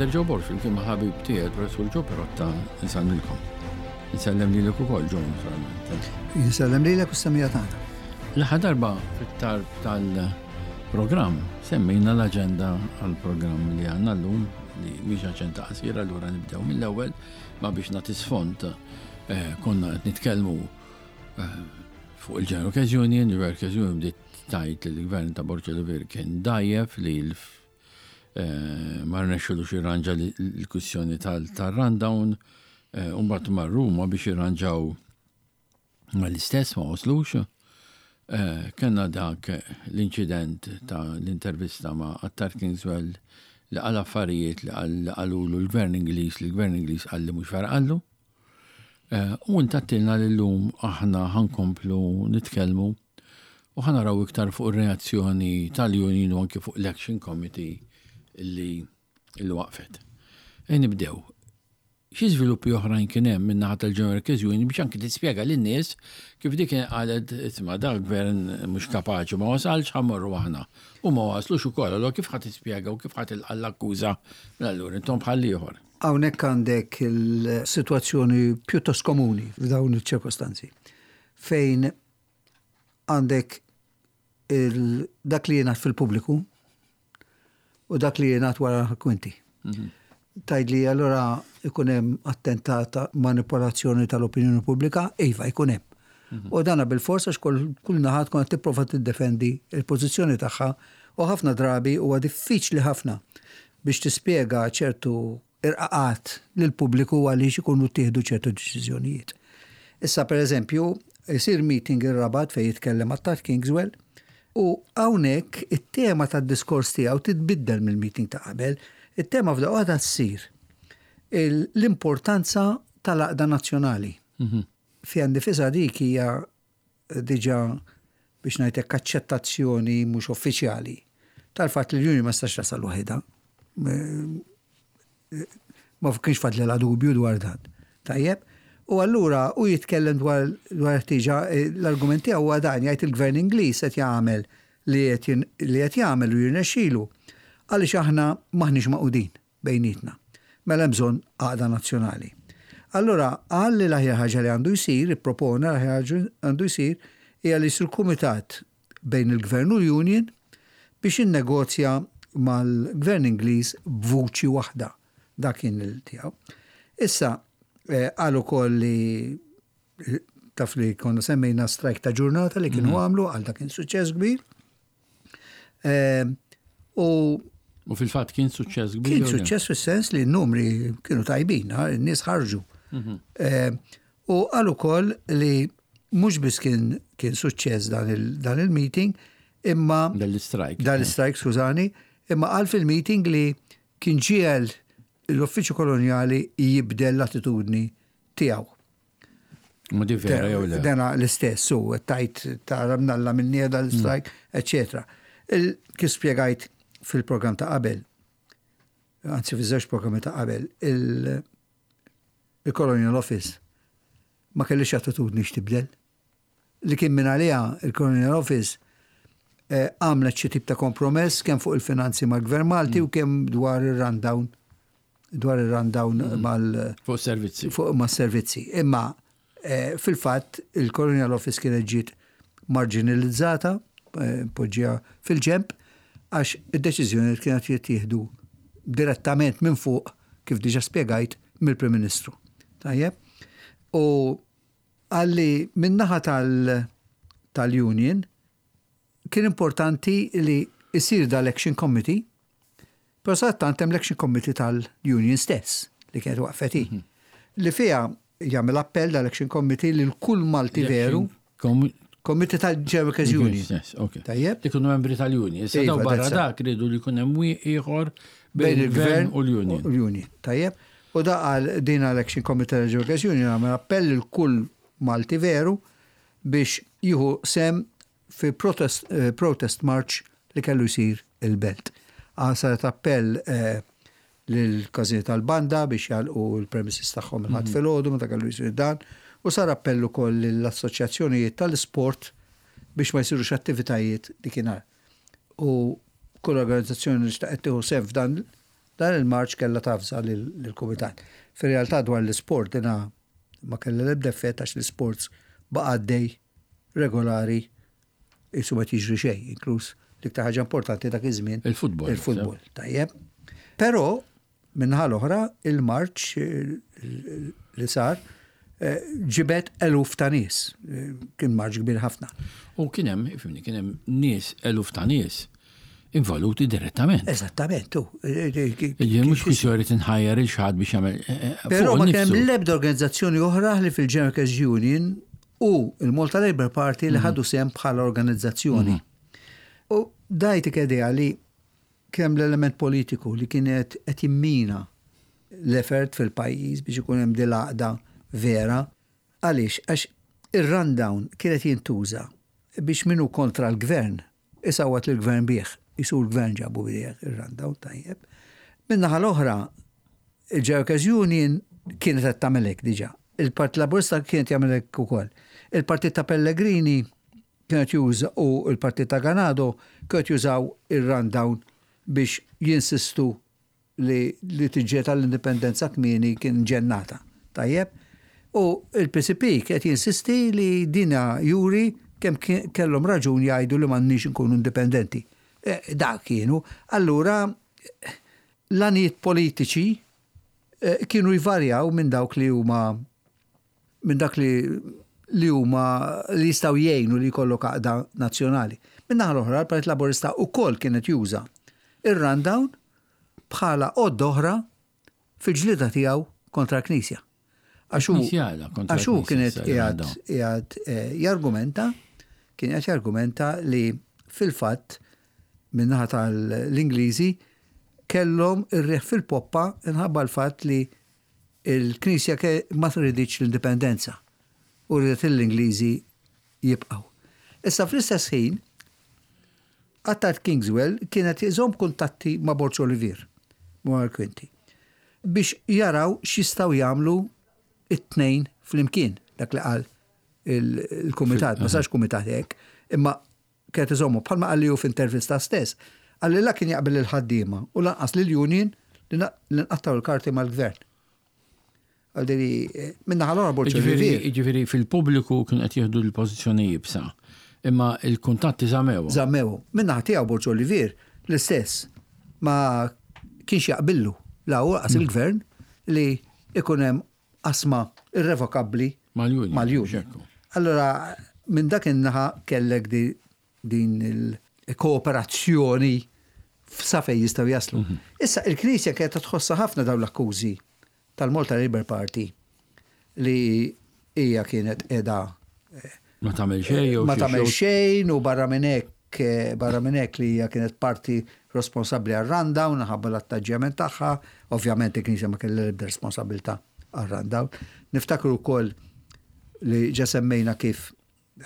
Father Joe Borg flimkien ma' ħabib tiegħi il-Professur Joe Perotta nsellmilkom. Insellem lilek ukoll Joe naturalment. Insellem lilek u s-semija tagħna. L-aħħar darba fit-tarb tal-programm semmejna l-aġenda għall-programm li għandna llum li mhix aġenda qasira allura nibdew mill-ewwel ma biex nagħti sfond eh, konna qed nitkellmu eh, fuq il-General Workers Union, il-Workers Union bdiet tgħid li l-gvern ta' Borg Olivier kien dgħajjef li eh, ma rnexxilux jirranġa l-kwistjoni tal-rundown, eh, u mbagħad mar Ruma biex jirranġaw mal-istess ma waslux. Eh, kellna dak l-inċident ta' l-intervista ma' Attar Kingswell li qal affarijiet li qalulu l-gvern Ingliż li l-gvern Ingliż qal li mhux vera qallu. U intattilna li llum aħna ħa nkomplu nitkellmu u ħa naraw iktar fuq ir-reazzjoni tal-union u anki fuq l-Action Committee li li waqfet. E nibdew. Xi żviluppi oħrajn kien hemm min-naħa tal-General Workers Union biex anki tispjega lin-nies kif dik kien qalet isma' dak gvern mhux kapaċi ma wasalx ħa mmorru aħna. U ma waslux ukoll, allura kif ħa tispjega u kif ħa tilqa' l-akkuża mela allura intom bħall-ieħor. Hawnhekk għandek il-sitwazzjoni pjuttost komuni f'dawn iċ-ċirkostanzi fejn għandek dak li jingħad fil-pubbliku u dak li jingħad wara l-kwinti. Mhm. Tgħidli allura ikun hemm attentat ta' manipolazzjoni tal-opinjoni pubblika, iva jkun hemm. Mhm. U dana bil-fors għax kull naħa tkun qed tipprova tiddefendi l-pożizzjoni tagħha u ħafna drabi huwa diffiċli ħafna biex tispjega ċertu irqaqat lill-pubbliku għaliex ikunu ttieħdu ċertu deċiżjonijiet. Issa pereżempju, isir meeting ir-Rabat fejn jitkellem Attard Kingswell u hawnhekk it-tema tad-diskors tiegħu titbiddel mill-meeting ta' qabel. It-tema f'daqqa waħda ssir l-importanza tal-għaqda nazzjonali. Fiha nnifisha dik hija diġà biex ngħid hekk aċċettazzjoni mhux uffiċjali tal-fatt li l-Union ma setax tasal waħidha. Ma kienx fadlilha dubju dwar dan. Tajjeb? U allura hu jitkellem dwar dwar ħtieġa l-argument tiegħu huwa dan jgħid il-Gvern Ingliż qed jagħmel li qed jagħmel u jirnexxilu għaliex aħna m'aħniex magħqudin. bejnietna. Mela hemm bżonn għaqda nazzjonali. Allura qal li l-aħjar ħaġa li għandu jsir, ippropona l-aħjar ħaġa għandu jsir hija li jsir kumitat bejn il-Gvern u l-Union biex jinnegozja mal-Gvern Ingliż b'vuċi waħda. Dak kien il-tiegħu. Issa eh, qal ukoll li taf li konna semmejna strajk ta' ġurnata li kienu mhm. għamlu għal dak kien suċċess kbir. Ehm, u U fil-fatt kien suċċess kbir. Kien suċċess fis-sens li n-numri kienu tajbin, n-nies ħarġu. Mhm. Ehm, u qal ukoll li mhux biss kien kien suċċess dan il-meeting, imma. Dan l-istrajk. Dan l-istrajk, skużani, imma qal fil-meeting li kien ġiegħel l-Uffiċċju Kolonjali jibdel l-attitudni tiegħu. Ma di vera jew le? Dena l-istess, u tajt ta' mnalla minn nieda l-strajk, mm. eccetera. Kif spjegajt fil-programm ta' qabel, anzi fi żewġ programmi ta' qabel, il-Colonial Office ma kellix attitudni x'tibdel. Li kien minn għaliha il-Colonial Office eh, għamlet xi tip ta' kompromess kemm fuq il-finanzi mal-Gvern Malti mm. u kemm dwar ir-rundown dwar ir-rundown mm. mal fuq servizzi. Fuq ma' servizzi. Imma eh, fil-fatt il-Colonial Office kienet ġiet marginalizzata, eh, poġġija fil-ġemp, għax id-deċiżjoni kienet jittieħdu direttament minn fuq, kif diġa spjegajt, mill-Prim Ministru. Tajjeb? U għalli min-naħa tal-union kien importanti li jsir dal-action committee, però sadattant hemm l-action committee tal-union stess li kienet waqfet hi. Mhm. Li fiha jagħmel appell dal-action committee lil kull Malti veru. Committee tal-General Workers Union. Tajjeb. Li kunu membri tal-union. Issa daw barra dak ridu li jkun hemm ieħor bejn il-gvern u l-union. L-union. Tajjeb. U da qal din l-Action Committee tal-General Workers Union għamel appell lil kull Malti veru biex jieħu sehem fi protest, eh, protest march li kellu jsir il-belt. Ah, saret appell eh, lill-każini tal-banda biex jagħlqu l-premises tagħhom il-Ħadd mhm. filgħodu meta kellu jsir dan u sar appell ukoll lill-assoċjazzjonijiet tal-isport biex ma jsirux attivitajiet dikinhar. U kull organizzazzjoni li xtaqet tieħu sehem f'dan Dan il-marċ kellha tavża lill-kumitat. Fir-realtà dwar l-isport dina ma kellha l-ebda effett għax l-isports baqa' għaddej regolari qisu ma jiġri xejn, inkluż l-iktar ħaġa importanti dak iż-żmien. Il-futbol. Il-futbol, tajjeb. Però min-naħa l-oħra il-marċ li sar ġibed eluf ta' nies. Kien marċ kbir ħafna. U kien hemm, ifhimni, kien hemm nies, eluf ta' nies involuti direttament. Eżattament, u. Ġifieri mhux kwistjoni li tinħajjar il xi ħadd biex jagħmel. Però ma kien hemm l-ebda organizzazzjoni oħra li fil-General Workers Union u l-Malta Labour Party li ħadu sehem bħala organizzazzjoni. U dajtik idea li kemm l-element politiku li kienet qed jimmina l-effort fil-pajjiż biex ikun hemm din l-għaqda vera. Għaliex? Għax ir-rundown kienet jintuża biex min hu kontra l-gvern isawwat lill-gvern bih, qisu l-gvern ġabu bih ir-rundown, tajjeb. Min-naħa l-oħra, il-General Workers Union kienet qed tagħmel hekk diġà. Il-Partit Laburista kien qed jagħmel hekk ukoll. Il-Partit ta' Pellegrini kien qed juża u l-Partit ta' Ganado kienu qed jużaw ir-rundown biex jinsistu li li tiġġieled għall-indipendenza kmieni kien ġennata. Tajjeb? U l-PCP qed jinsisti li dina juri kemm kellhom raġun jgħidu li m'għandniex inkunu indipendenti. Dak kienu. Allura l-għanijiet politiċi kienu jvarjaw minn dawk li huma minn dak li li huma li jistgħu jgħinu li jkollok għaqda nazzjonali. Min-naħa l-oħra, l-Partit Laburista wkoll kien qed juża ir-rundown bħala għodda oħra fil-ġlieda tiegħu kontra l-Knisja. Għax hu għax hu kien qiegħed qiegħed eh, jargumenta kien qed jargumenta li fil-fatt min-naħa tal-Ingliżi kellhom ir-riħ fil-poppa inħabba l-fatt li Il-Knisja ma riditx l-indipendenza u riedet lill-Ingliżi jibqgħu. Issa fl-istess ħin, Attard Kingswell kien qed iżomm kuntatti ma' Borg Olivier, Manuel Quinti, biex jaraw x'jistgħu jagħmlu t-tnejn flimkien, dak li qal il-kumitat, ma sarx kumitat hekk, imma kienet iżommu, bħalma qalli hu f'intervista stess, qalli la kien jaqbel lill-ħaddiema u lanqas lill-union li nqattgħu l-karti mal-gvern. Għaldiri, min-naħa l-oħra Borg Olivier. Jiġifieri fil-pubbliku kienu qed jieħdu l-pożizzjoni iebsa, imma l-kuntatti żammewhom. Żammewhom. Min-naħa tiegħu Borg Olivier l-istess ma kienx jaqbillu la hu lanqas il-gvern li jkun hemm qasma irrevokabbli mal-union. Allura minn dak in-naħa kellek din il-kooperazzjoni sa fejn jistgħu jaslu. Issa il-Knisja kienet tħossha ħafna dawn l-akkużi tal-Malta Labour Party li hija kienet qiegħda ma tagħmel xejn ma tagħmel xejn u barra minn hekk barra minn hekk li hija kienet parti responsabbli għar-rundown minħabba l-attaġġjament tagħha, ovvjament il-Knisja ma kellha l-ebda responsabbiltà għar-rundown. Niftakru wkoll li ġa semmejna kif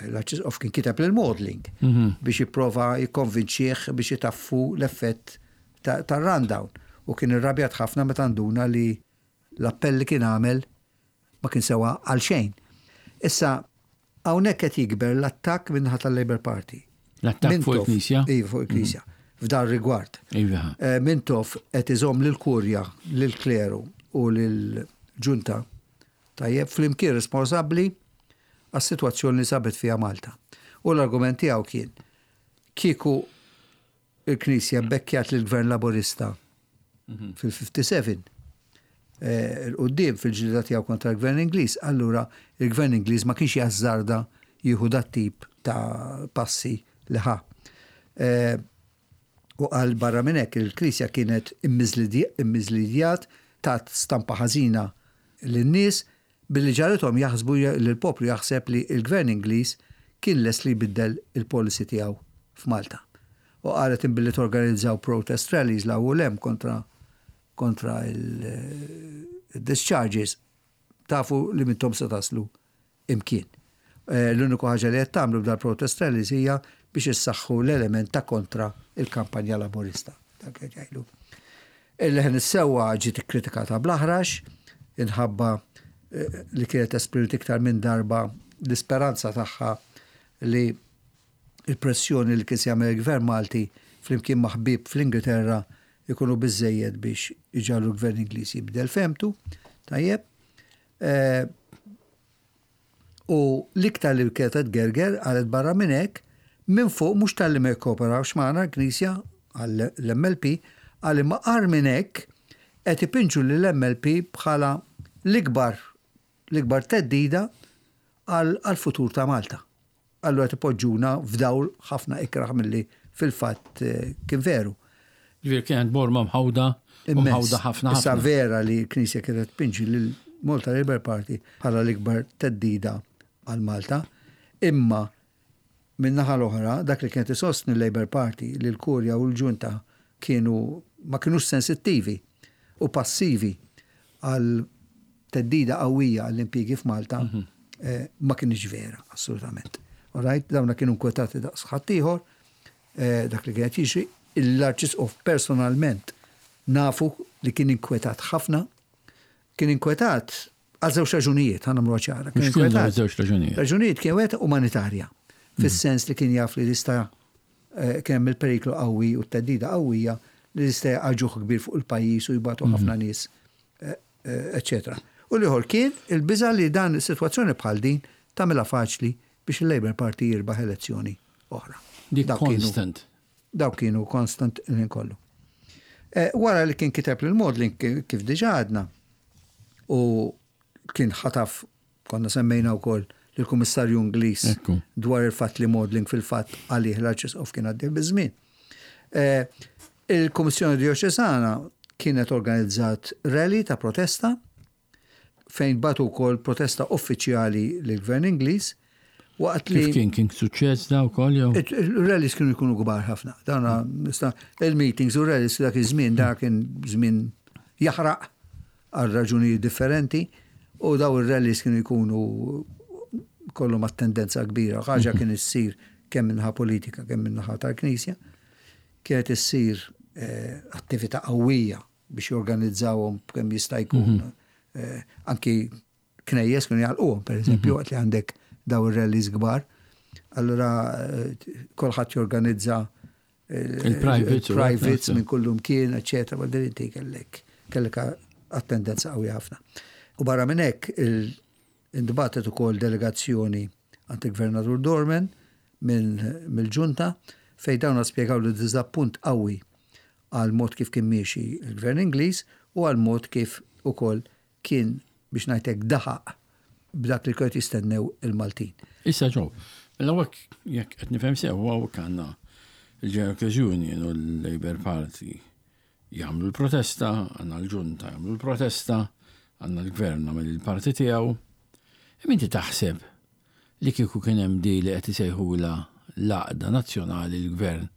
l-Arċisqof kien kiteb lil Maudling mhm. biex jipprova jikkonvinċih biex itaffu l-effett tar-rundown u kien irrabjat ħafna meta nduna li l-appell li kien għamel ma kien sewa għal xejn. Issa, hawnhekk qed jikber l-attakk min-naħa tal-Labour Party. L-attakk fuq il-Knisja? Iva, fuq il-Knisja. Mhm. F'dan rigward. Iva. Eh, Mintoff qed iżomm lill-Kurja, lill-kleru u lill-ġunta tajjeb flimkien responsabbli għas-sitwazzjoni li sabet fiha Malta. U l-argument tiegħu kien kieku il-Knisja bbekkjat lill-Gvern Laburista fil-57 'il quddiem fil-ġlieda tiegħu kontra l-Gvern Ingliż, allura il-Gvern Ingliż ma kienx jażżarda jieħu dat-tip ta' passi li ħa. U qal barra minn hekk il-Knisja kienet immiżlidjat, tat stampa ħażina lin-nies billi ġagħlithom jaħsbu li l-poplu jaħseb li l-Gvern Ingliż kien lest li jbiddel il-policy tiegħu f'Malta. U qalet imbilli torganizzaw protest rallies 'l hawn u 'l hemm kontra kontra il-discharges tafu li m'intom se taslu imkien. L-uniku ħaġa li qed tagħmlu b'dal-protest rallies hija biex issaħħu l-element ta' kontra il-kampanja Laburista. Dak qed jgħidu. Il-Leħen is-Sewwa ġiet ikkritikata bl-aħrax inħabba li kienet esprimiet iktar minn darba l-isperanza tagħha li l-pressjoni li kien se jagħmel il-Gvern Malti flimkien ma' ħbieb fl-Ingilterra ikunu biżżejjed biex iġagħlu l-Gvern Ingliż jibdel fehmtu. Tajjeb. Eh, u l-iktar li kienet tgerger qalet barra minn hekk, minn fuq mhux talli ma jikkooperawx magħna l-Knisja għall-MLP, qal imma agħar minn hekk qed ipinġu lill-MLP bħala l-ikbar l-ikbar theddida għall-futur ta' Malta. Allura qed ipoġġuna f'dawl ħafna ikrah milli fil-fatt kien veru. Ġifieri kienet borma mħawda u mħawda ħafna ħafna. Issa vera li l-Knisja kienet tpinġi lil Malta Labour Party bħala l-ikbar theddida għal Malta, imma Min-naħa l-oħra, dak li kienet isostni l-Labour Party li l-Kurja u l-Ġunta kienu ma kinux sensittivi u passivi għal theddida qawwija għall-impjiegi f'Malta ma kinitx vera, assolutament. All right? Dawna kienu nkwetati daqs ħaddieħor, dak li kienet jiġri, l-Arċisqof personalment nafu li kien inkwetat ħafna, kien inkwetat Għal żewġ raġunijiet, ħa nagħmluha ċara. Kien inkwetat. Żewġ raġunijiet. Raġunijiet kien wieħed umanitarja, fis-sens li kien jaf li jista' eh, kien hemm il-periklu qawwi u t-theddida qawwija li jista' jaqa' ġuħ kbir fuq il-pajjiż u jbatu mhm. ħafna nies, eh, eh, eċetera. U l-ieħor kien il-biża' li dan is-sitwazzjoni bħal din tagħmilha faċli biex il-Labour Party jirbaħ elezzjoni oħra. Dik constant. Dawk kienu constant il-ħin kollu. Wara li kien kiteb lil Maudlin kif diġà għadna u kien ħataf konna semmejna wkoll lill-Kummissarju Ingliż dwar il-fatt li Maudlin fil-fatt għalih l-Arċisqof kien għaddej biż-żmien. Il-Kummissjoni Djoċesana kienet organizzat rally ta' protesta fejn bagħtu wkoll protesta uffiċjali lill-Gvern Ingliż waqt li. Kif kien kien suċċess da wkoll jew? Il-rallies kienu jkunu kbar ħafna. Dawna il-meetings u rallies dak iż-żmien dak kien żmien jaħraq għal raġunijiet differenti u daw ir-rallies kienu jkunu kollhom attendenza kbira. Ħaġa mhm. kien issir kemm minnaħa politika kemm minnaħa tal-Knisja. Kienet issir eh, attività qawwija biex jorganizzawhom kemm jista' jkun. Mhm. Eh, anki knejjes kienu jgħalquhom, pereżempju, mhm. waqt li għandek daw ir-rallies kbar. Allura eh, kulħadd jorganizza eh, il-privates privates minn kullum kien, eċetera, ma din inti kellek kellek attendenza qawwi ħafna. U barra minn hekk intbagħtet ukoll delegazzjoni għand il-Gvernatur Dorman mill-ġunta fejn dawn spjegaw li diżappunt qawwi għall-mod kif kien miexi l-Gvern Ingliż u għall-mod kif ukoll kien, biex ngħid hekk, daħaq b'dak li kienu qed jistennew il-Maltin. Issa Joe, mela hawnhekk jekk qed nifhem sew hawnhekk għandna l-General Workers Union u l-Labour Party jagħmlu l-protesta, għandna l-ġunta jagħmlu l-protesta, għandna l-gvern għamel il-parti tiegħu. Imma inti taħseb li kieku kien hemm di li qed isejħulha l-għaqda nazzjonali l-gvern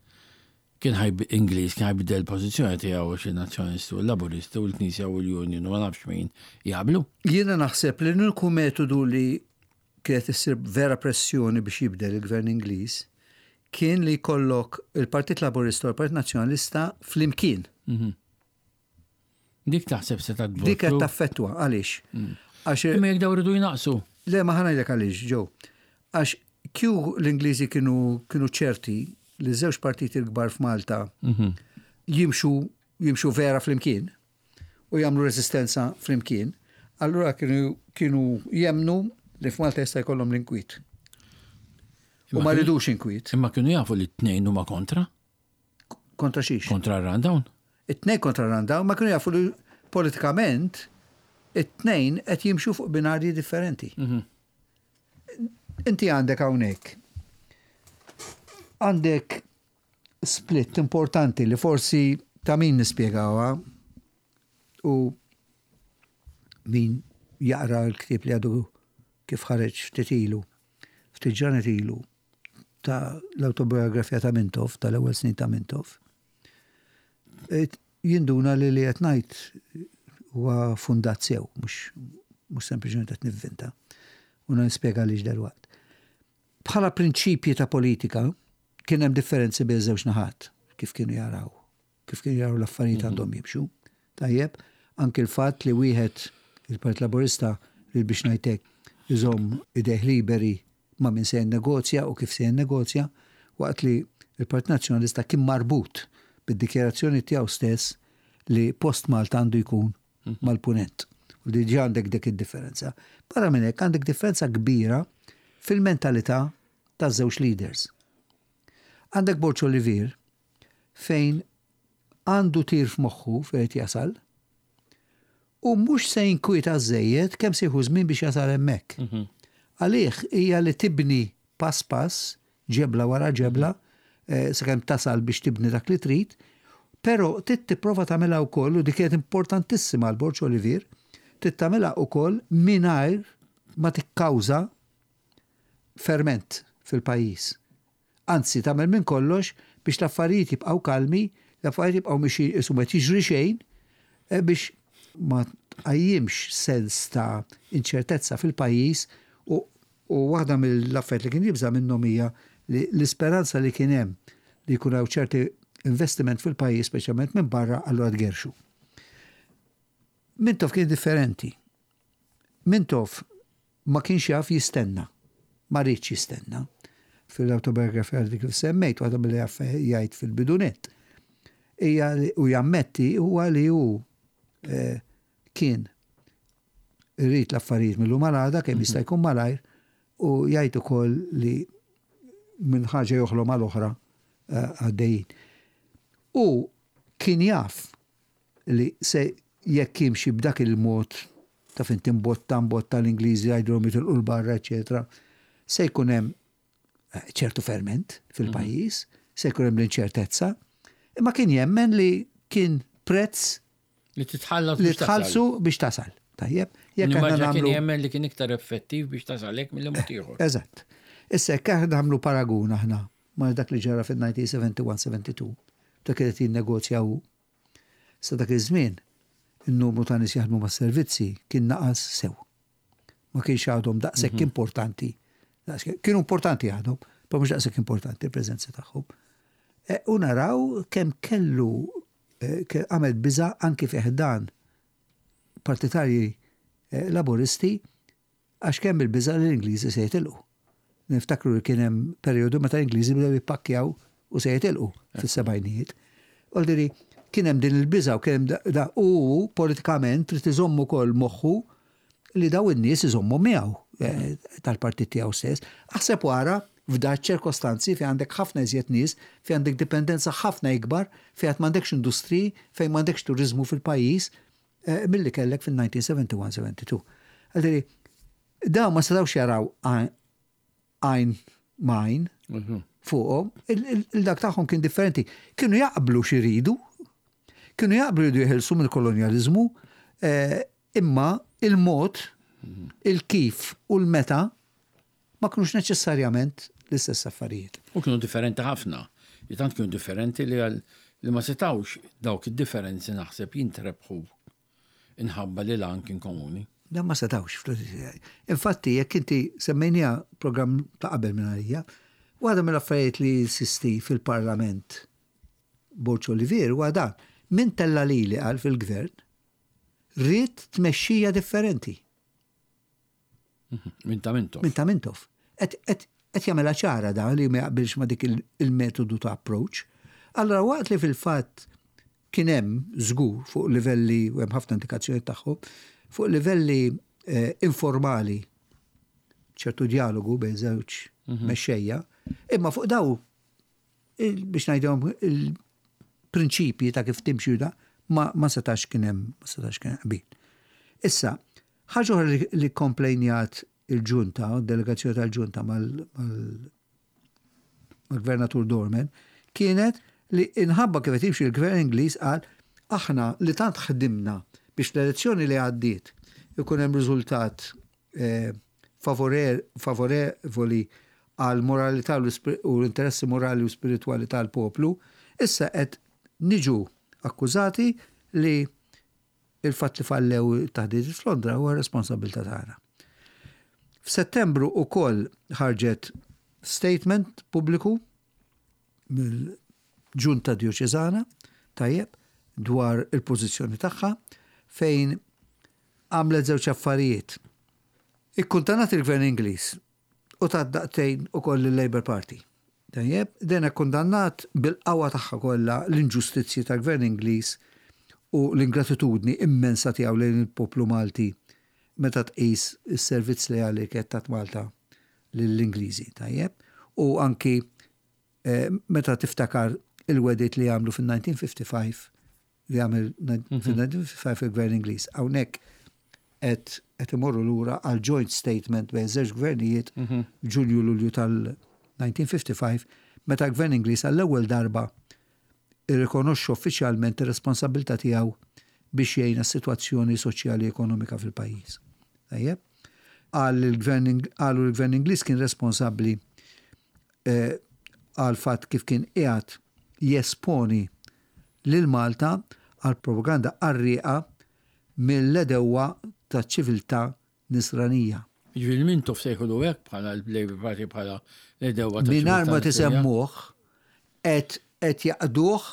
Kien ħa Ingliż kien ħa jbiddel il-pożizzjoni tiegħu għax in-Nazzjonalisti u l-Laburisti u l-Knisja u l-Union u ma nafx min jaqblu. Jiena naħseb li l-uniku metodu li kienet issir vera pressjoni biex jibdel il-Gvern Ingliż kien li jkollok il-Partit Laburista u l-Partit Nazzjonalista flimkien. Dik taħseb se ta' Dik qed taffettwa għaliex? Mm. Għax Imma jekk daw rridu jnaqsu. Le ma ħanajdlek għaliex, ġew. Għax kju l-Ingliżi kienu kienu ċerti li żewġ partiti l-kbar f'Malta mhm. jimxu jimxu vera flimkien u jagħmlu resistenza flimkien, allura kienu kienu jemnu li f'Malta jista' jkollhom l-inkwiet. U ma ridux inkwiet. Imma kienu jafu li t-tnejn huma kontra? Kontra xiex? Kontra r-rundown. It-tnejn kontra r-rundown ma kienu jafu li politikament it-tnejn qed jimxu fuq binarji differenti. Mhm. Inti għandek hawnhekk. Għandek split importanti li forsi ta' min nispjegawha u min jaqra l-ktieb li għadu kif ħareġ ftit ilu, ftit ġranet ilu, ta' l-autobiografija ta' Mintoff, tal-ewwel snin ta' Mintoff, jinduna li li qed ngħid huwa fundat sew, mhux mhux sempliċement qed nivvinta. U nispjega għaliex dalwaqt. Bħala prinċipji ta' politika kien hemm differenzi bejn żewġ naħat kif kienu jaraw kif kienu jaraw l-affarijiet mhm. għandhom jimxu. Tajjeb, anki l-fatt li wieħed il-Partit Laburista li biex ngħidlek iżomm idejh liberi ma' min se jinnegozja u kif se jinnegozja, waqt li l-Partit Nazzjonalista kien marbut bid-dikjarazzjoni tiegħu stess li post Malta għandu jkun mal-Punent. U diġà għandek dik id-differenza. Barra minn hekk għandek differenza kbira fil-mentalità taż-żewġ leaders. Għandek Borg Olivier fejn għandu tir f'moħħu fejn qed jasal u mhux se jinkwieta żejjed kemm se jieħu żmien biex jasal hemmhekk. Għalih hija li tibni pass pass, ġebla wara ġebla, sakemm tasal biex tibni dak li trid, però trid tipprova tagħmilha wkoll, u dik kienet importantissima għal Borg Olivier, trid tagħmilha wkoll mingħajr ma tikkawża ferment fil-pajjiż. Anzi, tagħmel minn kollox biex l-affarijiet jibqgħu kalmi, l-affarijiet jibqgħu mixjin qisu ma qed jiġri xejn, biex ma tqajjimx sens ta' inċertezza fil-pajjiż u u waħda mill-affarijiet li kien jibża' minnhom hija li l-isperanza li kien hemm li jkun hawn ċerti investiment fil-pajjiż speċjalment minn barra allura tgerrxu. Mintoff kien differenti. Mintoff ma kienx jaf jistenna. Ma riedx jistenna. Fil-awtobiografija li kif semmejt, waħda milli jaf jgħid fil-bidu nett, hija u jammetti huwa li hu kien irid l-affarijiet mill-lum għal għada kemm jista' jkun malajr u jgħid ukoll li minn ħaġa joħlom għal oħra għaddejjin. U kien jaf li se jekk jimxi b'dak il-mod taf inti mbotta mbotta l-Ingliżi jgħidulhom jitilqu 'l barra eċetera, se jkun hemm eh, ċertu ferment fil-pajjiż, se jkun hemm l-inċertezza, imma kien jemmen li kien prezz li titħallas li tħallsu biex tasal. Tajjeb, jekk aħna nagħmlu kien jemmen li kien iktar effettiv biex tasal hekk milli mod ieħor. Eżatt. Issa jekk aħna nagħmlu paragun aħna ma' dak li ġara fil-1971-72, dak li qed jinnegozja hu Sa dak iż-żmien, in-numru ta' nies jaħdmu mas-servizzi kien naqas sew. Ma kienx għadhom daqshekk importanti. Kienu importanti għadhom, però mhux daqshekk importanti l-preżenza tagħhom. E, u naraw kemm kellu e, għamel biża' anki fi ħdan partitarji e, laburisti Għax kemm il-biża' li l-Ingliżi se jitilqu. Niftakru li kien hemm perjodu meta l-Ingliżi bdew jippakkjaw u se jitilqu fis-sebgħinijiet. Vuol kien hemm din il-biża' u kien hemm da u politikament trid iżomm ukoll moħħu li daw in-nies iżommu miegħu eh, tal-partit tiegħu stess. Aħseb wara f'da ċirkostanzi fejn għandek ħafna iżjed nies, fejn għandek dipendenza ħafna ikbar, fejn għad m'għandekx industriji, fejn m'għandekx turiżmu fil-pajjiż, milli kellek fil-1971-72. Għaldiri, dawn ma setgħux jaraw għajn ma' għajn mhm. fuqhom, il-dak tagħhom kien differenti. Kienu jaqblu x'iridu, kienu jaqblu jridu jeħilsu mill-kolonjaliżmu, eh, imma il-mod, mhm. il-kif u l-meta ma kinux neċessarjament l-istess affarijiet. U kienu differenti ħafna. Li tant kienu differenti li li ma setgħux dawk id-differenzi naħseb jintrebħu inħabba li l-għan kien komuni. Dan ma setgħux. Infatti, jekk inti semmejniha programm ta' qabel minn għalija, waħda mill-affarijiet li jinsisti fil-Parlament Borg Olivier huwa dan. Min tella' lili qal fil-gvern, ried tmexxija differenti. Minn ta' Mintoff. Minn ta' Mintoff. Qed jagħmilha ċara da li ma jaqbilx ma' dik il-metodu ta' approach. Allora waqt li fil-fatt kien hemm żgur fuq livelli u hemm ħafna indikazzjoni tagħhom, fuq livelli eh, informali ċertu dialogu bejn żewġ mhm. mexxejja, imma fuq daw biex ngħidhom il-prinċipji ta' kif timxi da ma, ma setax kien hemm ma setax kien qbil. Issa, ħaġa oħra li, li komplejnjat il-ġunta, delegazzjoni tal-ġunta mal-gvernatur Dorman, kienet li inħabba kif qed jimxi l-gvern Ingliż qal aħna li tant ħdimna biex l-elezzjoni li għaddiet ikun hemm riżultat eh, favorevoli għal moralità u l-interessi morali u spiritwali tal-poplu, issa qed niġu akkużati li il-fatt li fallew it-taħdidiet f'Londra huwa responsabbiltà tagħna. F'Settembru ukoll ħarġet statement pubbliku mill-Ġunta Djoċeżana, tajjeb, dwar il-pożizzjoni tagħha fejn għamlet żewġ affarijiet. Ikkuntanat il-Gvern Ingliż u tat daqtejn ukoll lil-Labour Party. Tajjeb, din ikkundannat bil-qawwa tagħha kollha l-inġustizzji tal-Gvern Ingliż u l-ingratitudni immensa tiegħu lejn il-poplu Malti meta tqis is-servizz leali li kienet tat Malta lill-Ingliżi. Tajjeb, u anki meta tiftakar il-wegħdiet li għamlu fin-1955 li għamel fil-1955 il-Gvern Ingliż. Hawnhekk qed qed imorru lura għal joint statement bejn żewġ gvernijiet Ġunju Lulju tal-1955 meta l-Gvern Ingliż għall-ewwel darba irrikonoxxa uffiċjalment ir-responsabbiltà tiegħu biex jgħin għas-sitwazzjoni soċjali ekonomika fil-pajjiż. Tajjeb? Qal li l-Gvern qalu li l-Gvern Ingliż kien responsabbli għall-fatt kif kien qiegħed jesponi lil Malta għal propaganda qarrieqa mill-għedewwa taċ-ċiviltà Nisranija. Jiġifieri Mintoff sejħulu hekk bħala l-Labour Party bħala l-għedewwa taċ-ċiviltà Nisranija. Mingħajr ma tisemmuh qed qed jgħaqqduh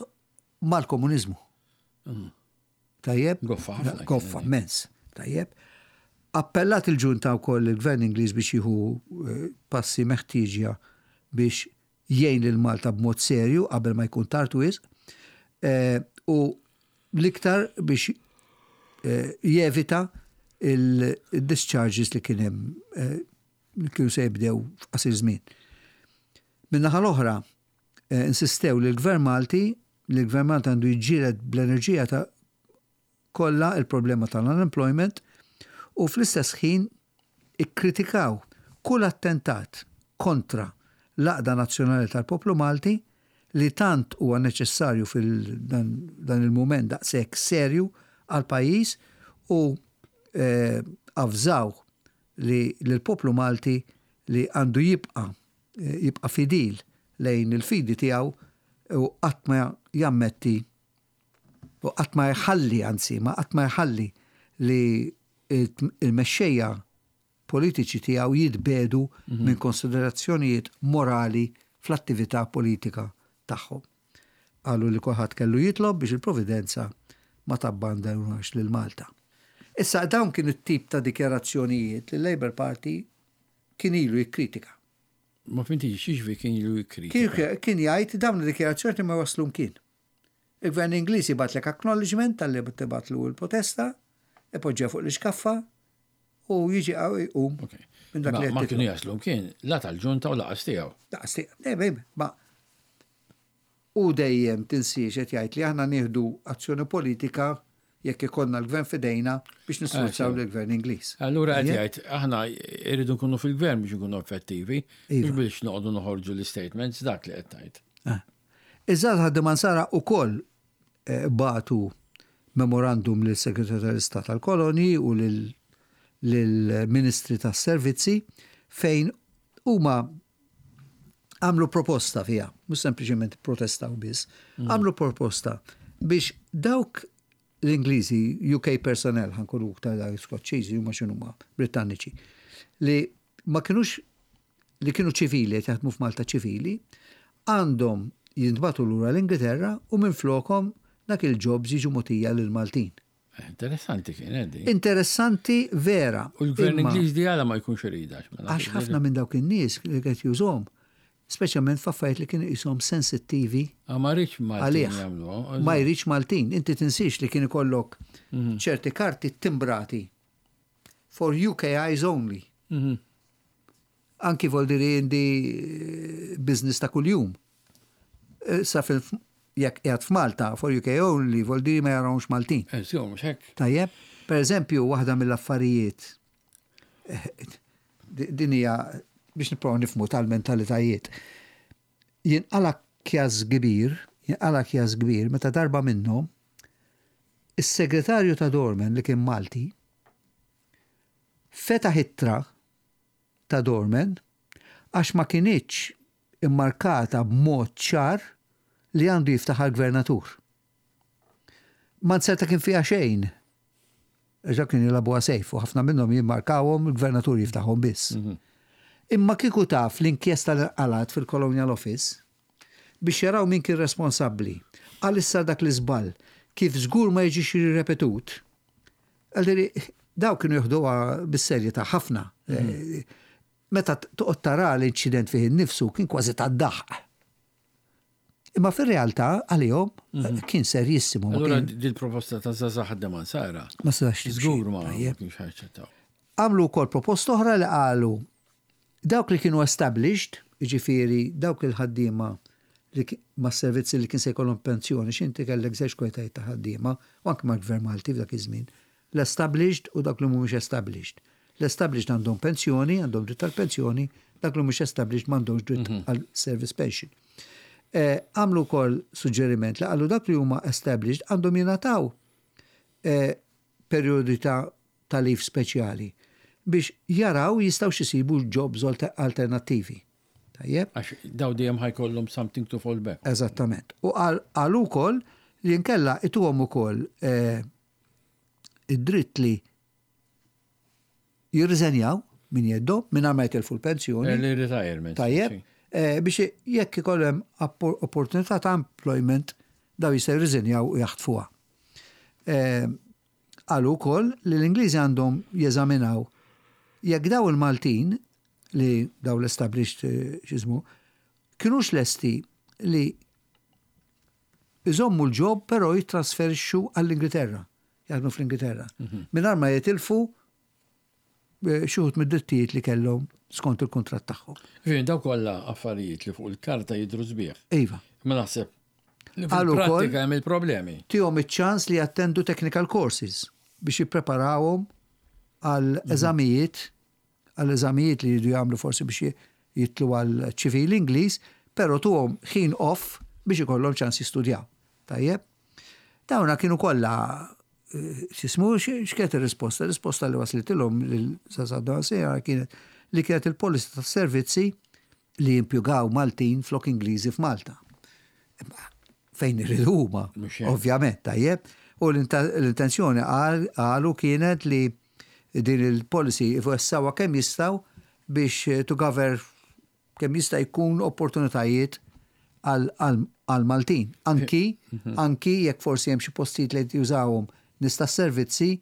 mal-komuniżmu. Tajjeb? Goffa ħafna. Goffa, immens. Tajjeb. Appellat il-ġunta wkoll lill-Gvern Ingliż biex jieħu passi meħtieġa biex jgħin lil Malta b'mod serju qabel ma jkun tard wisq u l-iktar biex jevita il-discharges li kien hemm li kienu se jibdew f'qasir żmien. Min-naħa l-oħra, insistew li l-Gvern Malti li l-Gvern Malti għandu jiġġieled bl-enerġija ta' kollha l-problema tal-unemployment u fl-istess ħin ikkritikaw kull attentat kontra l-għaqda nazzjonali tal-poplu Malti li tant huwa neċessarju fil-dan il-mument daqshekk serju għall-pajjiż u avżaw li lill-poplu Malti li għandu jibqa' jibqa' fidil lejn il-fidi tiegħu u qatt ma jammetti u qatt ma jħalli, anzi, ma qatt ma jħalli li l-mexxejja politiċi tiegħu jitbiegħdu minn konsiderazzjonijiet morali fl-attività politika tagħhom. Qalu li kulħadd kellu jitlob biex il-Providenza ma tabbandunax lil Malta. Issa dawn kienu t-tip ta' dikjarazzjonijiet li l-Labour Party kien ilu jikkritika. Ma fhimtix, x'jiġifieri kien ilu jikkritika? Kien jgħid dawn id-dikjarazzjonijiet ma jwasslu mkien. Il-Gvern Ingliż jibgħatlek acknowledgement talli tibgħatlu l-protesta, ipoġġiha fuq l-ixkaffa u jiġi jqum minn dak li Ma kienu jaslu mkien, la tal-ġunta u laqas tiegħu. Laqas tiegħu. Ma u dejjem tinsiex qed jgħid li aħna nieħdu azzjoni politika jekk ikollna l-gvern f'idejna biex nisforzaw eh, lill-gvern Ingliż. Allura qed jgħid aħna rridu nkunu fil-gvern biex nkunu effettivi, mhux iva. biex noqogħdu noħorġu l-istatements dak li qed tgħid. Eh. Iż-żgħażagħ ħaddiema Nsara wkoll bagħtu memorandum lis-Segretarju tal-Istat għall-Kolonji u lill-Ministri tas-Servizzi fejn huma għamlu proposta fiha, mhux sempliċement protestaw biss, mm. għamlu proposta biex dawk l-Ingliżi, UK personnel, ħankunu iktar dak Skoċċiżi huma x'inhuma Britanniċi, li ma kinux li kienu ċivili qed jaħdmu f'Malta ċivili, għandhom jintbagħtu lura l-Ingilterra u minflokhom dak il-jobs jiġu mogħtija lill-Maltin. Interessanti kienet din. Interessanti vera. U l-gvern Ingliż di għala ma jkunx iridha. Għax ħafna minn dawk in-nies li qed jużhom, speċjalment f'affarijiet li kienu qishom sensittivi. Ah, ma rridx Maltin jagħmluha. Ma jridx Maltin. Inti tinsiex li kien ikollok mhm. ċerti karti timbrati for UK eyes only. Mhm. Anki voldiri indi eh, business ta' kuljum. Eh, sa fil jekk qiegħed f'Malta for UK only voldiri ma jarawx Maltin. Eh, mhux hekk. Tajjeb, per eżempju, waħda mill-affarijiet din hija biex nipprova nifhmu tal-mentalitajiet. Jinqala kjas kbir, jinqala kjas kbir meta darba minnhom is-segretarju ta' Dorman li kien Malti fetaħ ittra ta' Dorman għax ma kinitx immarkata b'mod ċar li għandu jiftaħha l-Gvernatur. Ma nzerta kien fiha xejn. Għax dawk kienu jilagħbuha safe u ħafna minnhom jimmarkawhom il-Gvernatur jiftaħhom biss. Mhm. Imma kieku taf l-inkjesta li nqalgħet fil-Colonial Office biex jaraw min kien responsabbli għal issa dak l-iżball kif żgur ma jiġix ripetut, Għaldiri, daw kienu jieħduha bis-serjetà ħafna. Mhm. Meta toqgħod tara l-inċident fih innifsu kien kważi tad-daħq. Imma fir-realtà għalihom kien serjissimu. Allura dil-proposta ta' Zaza ħaddem Sara. Ma setax Żgur ma kienx ħaċċettaw. Għamlu wkoll proposta oħra li qalu dawk li kienu established, jiġifieri dawk il-ħaddiema li mas-servizzi li kien se jkollhom pensjoni, x'inti kellek żewġ kwalitajiet ta' ħaddiema, u anke mal-Gvern Malti f'dak iż-żmien, l-established u dawk li mhumiex established. L-established għandhom pensjoni, għandhom dritt għall-pensjoni, dawk li mhux established m'għandhomx dritt għal service pension. Għamlu wkoll suġġeriment li qalu dak li huma established għandhom jingħataw perjodi ta' ta' leave speċjali biex jaraw jistgħux isibu jobs alternattivi. Tajjeb? Għax daw dejjem ħa jkollhom something to fall back. Eżattament. U qalu wkoll li nkella ituhom ukoll id-dritt li jirriżenjaw minn jeddhom mingħajr ma jitilfu l-pensjoni. Early retirement. Tajjeb. Biex jekk ikollhom opportunità ta' employment daw jistgħu jirriżenjaw u jaħtfuha. Qalu wkoll li l-Ingliżi għandhom jeżaminaw jekk daw il-Maltin li daw l-established x'ismu kinux lesti li iżommu l-job però jittrasferixxu għall-Ingilterra, jaħdmu fl-Ingilterra, mingħajr ma jitilfu xi wħud mid-drittijiet li kellhom skont il-kuntratt tagħhom. Ġifieri daw kollha affarijiet li fuq il-karta jidhru sbieħ. Iva. Ma naħseb li fil-prattika hemm il-problemi. Tihom iċ-ċans li jattendu technical courses biex jippreparawhom għal eżamijiet għal eżamijiet li jridu jagħmlu forsi biex jitlu għal ċivil Ingliż, però tuhom ħin off biex ikollhom ċans jistudjaw. Tajjeb? Dawna kienu kollha x'ismu x'kienet ir-risposta? Ir-risposta li waslitilhom lil Sasad kienet li kienet il-policy tas-servizzi li jimpjugaw Maltin flok Ingliżi f'Malta. Fejn iridu huma, ovvjament, tajjeb. U l-intenzjoni qalu kienet li din il-policy jwessgħuha kemm jistgħu biex to cover kemm jista' jkun opportunitajiet għal Maltin. Anki, anki jekk forsi hemm xi postijiet li jużawhom nies tas-servizzi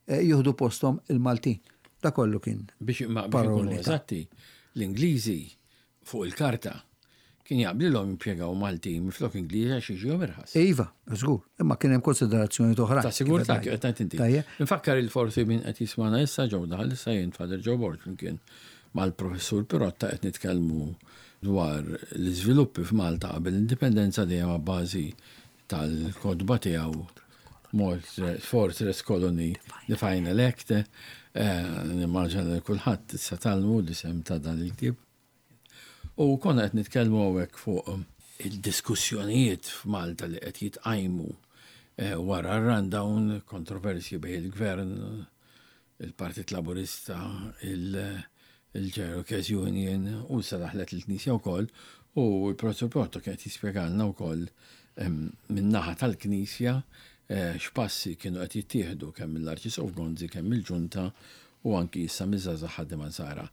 jieħdu posthom il-Maltin. Da kollu kien. Biex ma biex ikunu eżatti, l-Ingliżi fuq il-karta kien jaqblilhom jimpjegaw Maltin minflok Ingliżi għax jiġihom irħas. Iva, żgur, imma kien hemm konsiderazzjoni oħra. Ta' sigurtà kif qed ngħid inti. Infakkar il forsi min qed jismana issa ġew daħal issa jien Father Joe Borg flimkien mal-Professur Pirotta qed nitkellmu dwar l-iżviluppi f'Malta qabel l-indipendenza dejjem a bażi tal-kotba tiegħu Fortress Colony The Final Act. Nimmaġina li kulħadd issa tgħallmu l-isem ta' dan il-ktieb. U konna qed nitkellmu hawnhekk fuq il-diskussjonijiet f'Malta li qed jitqajmu wara r-rundown, kontroversji bejn il-gvern, il-Partit Laburista, il-General Workers Union u issa daħlet il-Knisja wkoll u l-Professur Pirotta kien qed jispjegalna wkoll min-naħa tal-Knisja x'passi kienu qed jittieħdu kemm mill-Arċisqof Gonzi, kemm mill-Ġunta u anki issa miż-żgħażagħ ħaddiema Nsara.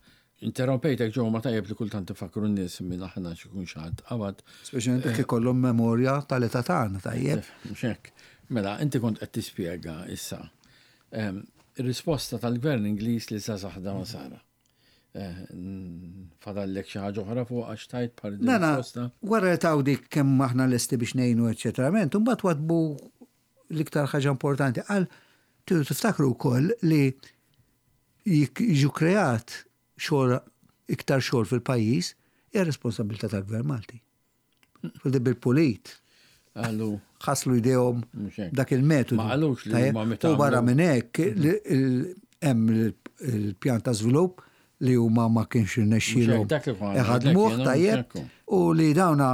Interrompejtek Joe ma tajjeb li kultant ifakkru n-nies min aħna xi jkun xi ħadd qabad. Speċjalment jekk ikollhom memorja tal-età tagħna, tajjeb. Mhux hekk. Mela, inti kont qed tispjega issa ir-risposta tal-Gvern Ingliż li żgħażagħ ħaddiema Nsara. Fadallek xi ħaġa oħra fuq għax tajt bħal din risposta? Wara li taw dik kemm aħna lesti biex ngħinu eċċetera, imbagħad wadbu l-iktar ħaġa importanti qal tridu tiftakru wkoll li jiġu kreat xogħol iktar xogħol fil-pajjiż hija responsabilità tal-Gvern Malti. Fil bil-pulit. Għallu. Ħaslu jdejhom dak il-metodu. Ma qalux li huma meta. U barra minn hekk hemm il-pjan ta' żvilupp li huma ma kienx irnexxielhom iħadmuh tajjeb u li dawna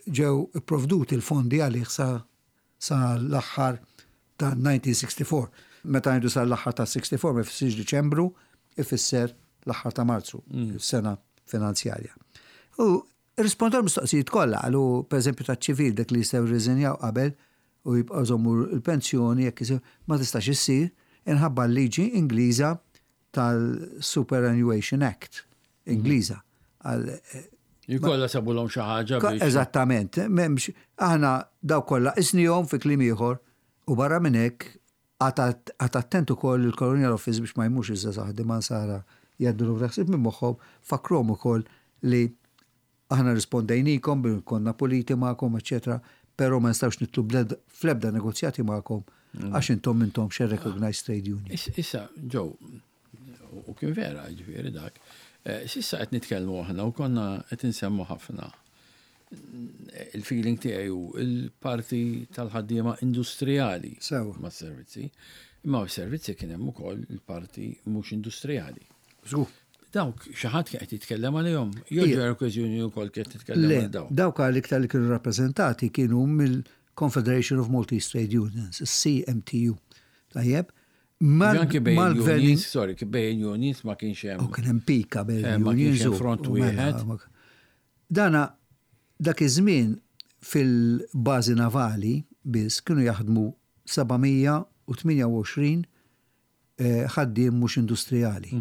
ġew ipprovduti l-fondi għalih sa sa l-aħħar ta' 1964. Meta ngħidu sa l-aħħar ta' 64 ma jfissirx Diċembru, ifisser l-aħħar ta' Marzu, sena finanzjarja. U rispondew mistoqsijiet kollha, qalu pereżempju ta' ċivil dak li jistgħu jirriżenjaw qabel u jibqgħu jżommu l-pensjoni jekk ma tistax issir inħabba l-liġi Ingliża tal-Superannuation Act Ingliża. Jkollha sabulhom xi ħaġa biex. Eżattament, m'hemmx aħna daw kollha qisnihom fi kliem ieħor u barra minn hekk qagħad attent ukoll il-Colonial Office biex ma jmurx iż-żgħażagħ ħaddiema Nsara. jgħaddulhom taħsib minn moħħhom, fakkruhom ukoll li aħna rispondejnikom bil konna puliti magħkom, eċċetera, però ma nistgħux nidħlu fl-ebda negozjati magħkom għax intom m'intomx a recognized trade union. Issa, Joe, u kien vera, ġifieri dak, s'issa qed nitkellmu aħna u konna qed insemmu ħafna. Il-feeling tiegħi hu il-parti tal-ħaddiema industrijali mas-servizzi. Imma s-servizzi kien hemm ukoll il-parti mhux industrijali. Żgur. Dawk xi ħadd kien qed jitkellem għalihom? Jew ġew okkażjoni wkoll kien titkellem għal dawk? Dawk għal iktar li kienu rappreżentati kienu mill-Confederation of Maltese Trade Unions, il-CMTU. Tajjeb? Anki bejn unions, sorry, bejn unions ma kienx hemm. U kien hemm pika bejn eh, unions. Ma kienx front mela, wieħed. Dana dak iż-żmien fil-bażi navali biss kienu jaħdmu 728 ħaddiem mhux industrijali.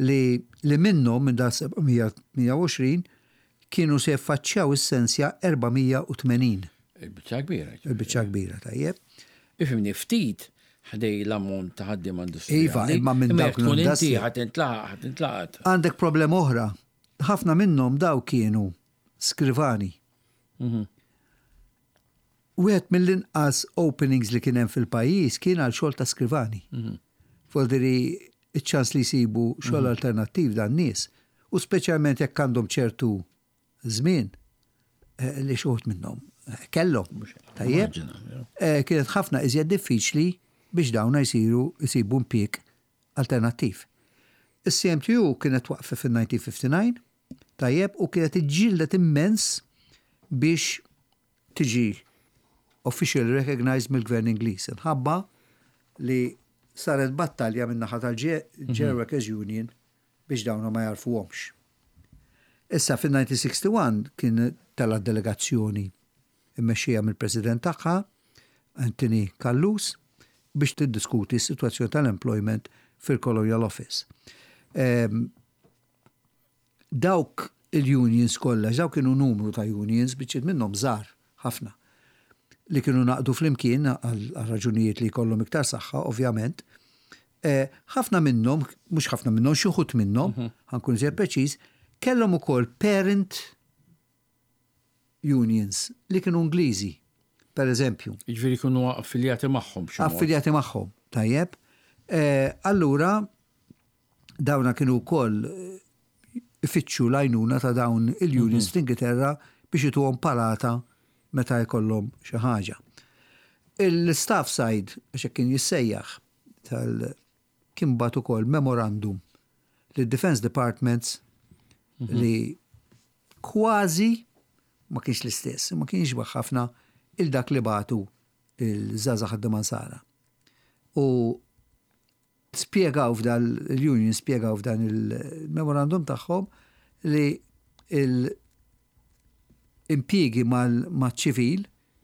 Li li minnhom minn dan 728 kienu se jaffaċċjaw is-sensja 480. Il-biċċa kbira. Il-biċċa kbira, tajjeb. Ifhimni ftit ħdej l-ammont ta' ħaddiema industrijali. Iva, imma minn dawk tkun inti ħa tintlaqat, ħa tintlaqat. Għandek problema oħra. Ħafna minnhom daw kienu skrivani. Wieħed mill-inqas openings li kien hemm fil-pajjiż kien għal xogħol ta' skrivani. Voldiri iċ-ċans li jsibu xogħol alternattiv dan nies. U speċjalment jekk għandhom ċertu żmien li xi wħud minnhom kellhom. Tajjeb. Kienet ħafna iżjed diffiċli biex dawna jsiru jsibu impjieg alternattiv. Is-CMTU kienet waqfet fil-1959, tajjeb, u kienet iġġieldet immens biex tiġi officially recognized mill-Gvern Ingliż. Inħabba li saret battalja minn naħa tal-General Workers Union biex dawna ma jarfuhomx. Issa fil-1961 kien tela delegazzjoni immexxija mill-President tagħha, Anthony Callus, biex tiddiskuti s-sitwazzjoni tal-employment fil-Colonial Office. Dawk il-unions kollha, dawk kienu numru ta' unions, biċċiet minnhom żgħar ħafna, li kienu ngħaqdu flimkien għal raġunijiet li jkollhom iktar saħħa, ovvjament. Ħafna minnhom, mhux ħafna minnhom, xi wħud minnhom, ħa nkun iżjed preċiż, kellhom ukoll parent unions li kienu Ingliżi, per eżempju. Jiġifieri kienu affiljati magħhom b'xi mod. Affiljati magħhom, tajjeb. Allura dawna kienu wkoll ifittxu l-għajnuna ta' dawn il-unions fl-Ingilterra biex ituhom palata meta jkollhom xi ħaġa. Il-staff side, għax hekk kien jissejjaħ, tal kien bagħat ukoll memorandum lid-Defence Departments li kważi ma kienx l-istess, ma kienx jixbah ħafna il dak li bagħtu il-żgħażagħ ħaddiema Nsara. U spjegaw f'dal il-union spjegaw f'dan il-memorandum tagħhom li l-impjiegi mal-ċivil,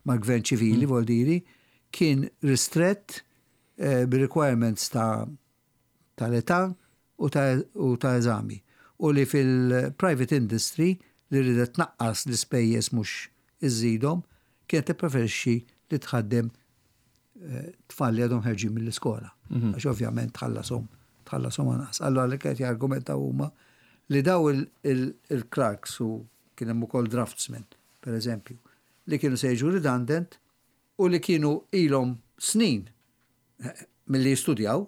mal-gvern ċivili, vol diri, kien ristrett bi-requirements ta' tal-età u ta' eżami u li fil-private industry li ridet tnaqqas l-ispejjeż mhux iżżidhom kienet tippreferixxi li tħaddem tfal li għadhom ħerġin mill-iskola. Għax ovvjament tħallashom tħallashom anqas. Allura li qed jargumentaw huma li daw il-clerks u kien hemm ukoll draftsmen, per eżempju, li kienu se jiġu redundant u li kienu ilhom snin milli jistudjaw,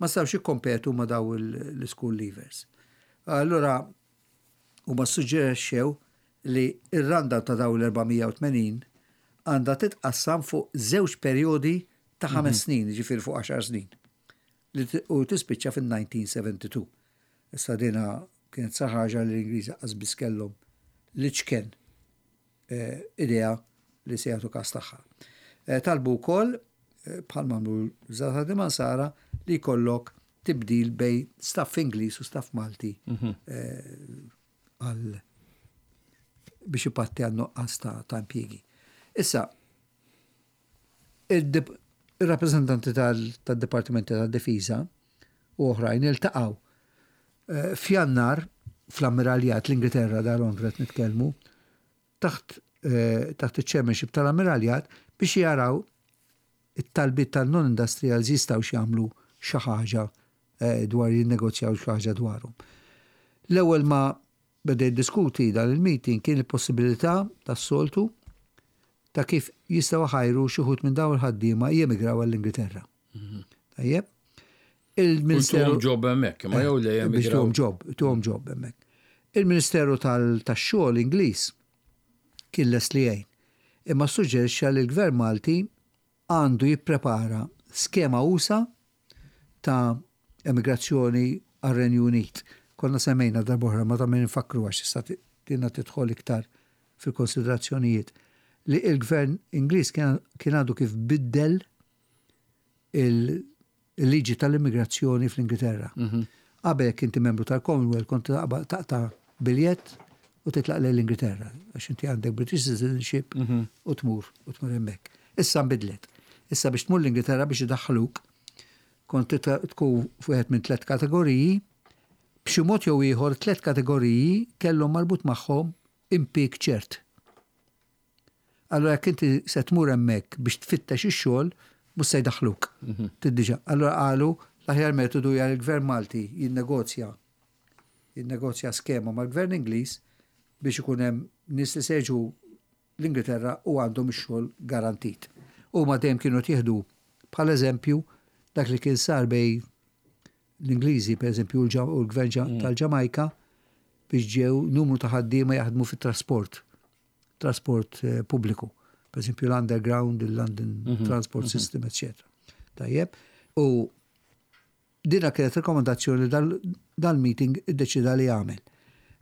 ma setgħux jikkompetu ma' daw l-school leavers. Allura huma ssuġġerixxew li r-rundown ta' daw l-480 għandha titqassam fuq żewġ perjodi ta' 5 snin, ġifieri fuq 10 snin, u tispiċċa fin-1972. Issa dina kienet sa ħaġa li l-Ingliżi qas biss kellhom l-iċken idea li se jagħtu każ tagħha. Talbu wkoll, bħal m'għamlu l-Żgħażagħ Ħaddiema Nsara, li jkollok tibdil bejn staff Ingliż u staff Malti għal biex ipatti għal nuqqas ta' impjiegi. Issa, ir-rappreżentanti tad-Dipartimenti tad-Difiża u oħrajn iltaqgħu f'Jannar fl-Ammiraljat l-Ingilterra da Londra qed nitkellmu taħt taħt iċ-chairmanship tal-Ammiraljat biex jaraw it-talbiet tan-non-industrials jistgħux jagħmlu xi ħaġa. dwar jinnegozjaw xi ħaġa dwarhom. L-ewwel ma beda jiddiskuti dan il-meeting kien il-possibilità tas-soltu ta' kif jistgħu iħajru xi wħud minn dawn il-ħaddiema jemigraw għall-Ingilterra. Tajjeb? Il-Ministeru. Tuhom job hemmhekk, ma jew le jemigraw. Biex tuhom job, tuhom job hemmhekk. Il-Ministeru tax-xogħol Ingliż kien lest li jgħin. Imma ssuġġerixxa li l-Gvern Malti għandu jipprepara skema usa' ta' emigrazzjoni għar-Renju Unit. Konna semmejna darb'oħra, ma ta' min infakkru għax issa dinha tidħol iktar fil-konsiderazzjonijiet, li l-Gvern Ingliż kien għadu kif biddel il-liġi tal-immigrazzjoni fl-Ingilterra. Qabel jekk inti membru tal-Commonwealth kont taqta' biljett u titlaq lejn l-Ingilterra għax inti għandek British citizenship u tmur u tmur hemmhekk. Issa nbidlet. Issa biex tmur l-Ingilterra biex idaħħluk kont tkun f'wieħed minn tlett kategoriji, b'xi mod jew ieħor tlett kategoriji kellhom marbut magħhom impieg ċert. Allura jekk inti se tmur hemmhekk biex tfittex ix-xogħol, mhux se jdaħħluk. Tiddiġà. Allura qalu l-aħjar metodu hija li l-Gvern Malti jinnegozja jinnegozja skema mal-Gvern Ingliż biex ikun hemm nies li se jiġu l-Ingilterra u għandhom ix-xogħol garantit. Huma dejjem kienu qed jieħdu bħala eżempju dak li kien sar bejn l-Ingliżi pereżempju u l-Gvern tal-Ġamajka biex ġew numru ta' ħaddiema jaħdmu fit-trasport trasport pubbliku. Per eżempju l-underground, il-London Transport System, eccetera. Tajjeb. U dina kienet rekomendazzjoni li dal-meeting iddeċida li jagħmel.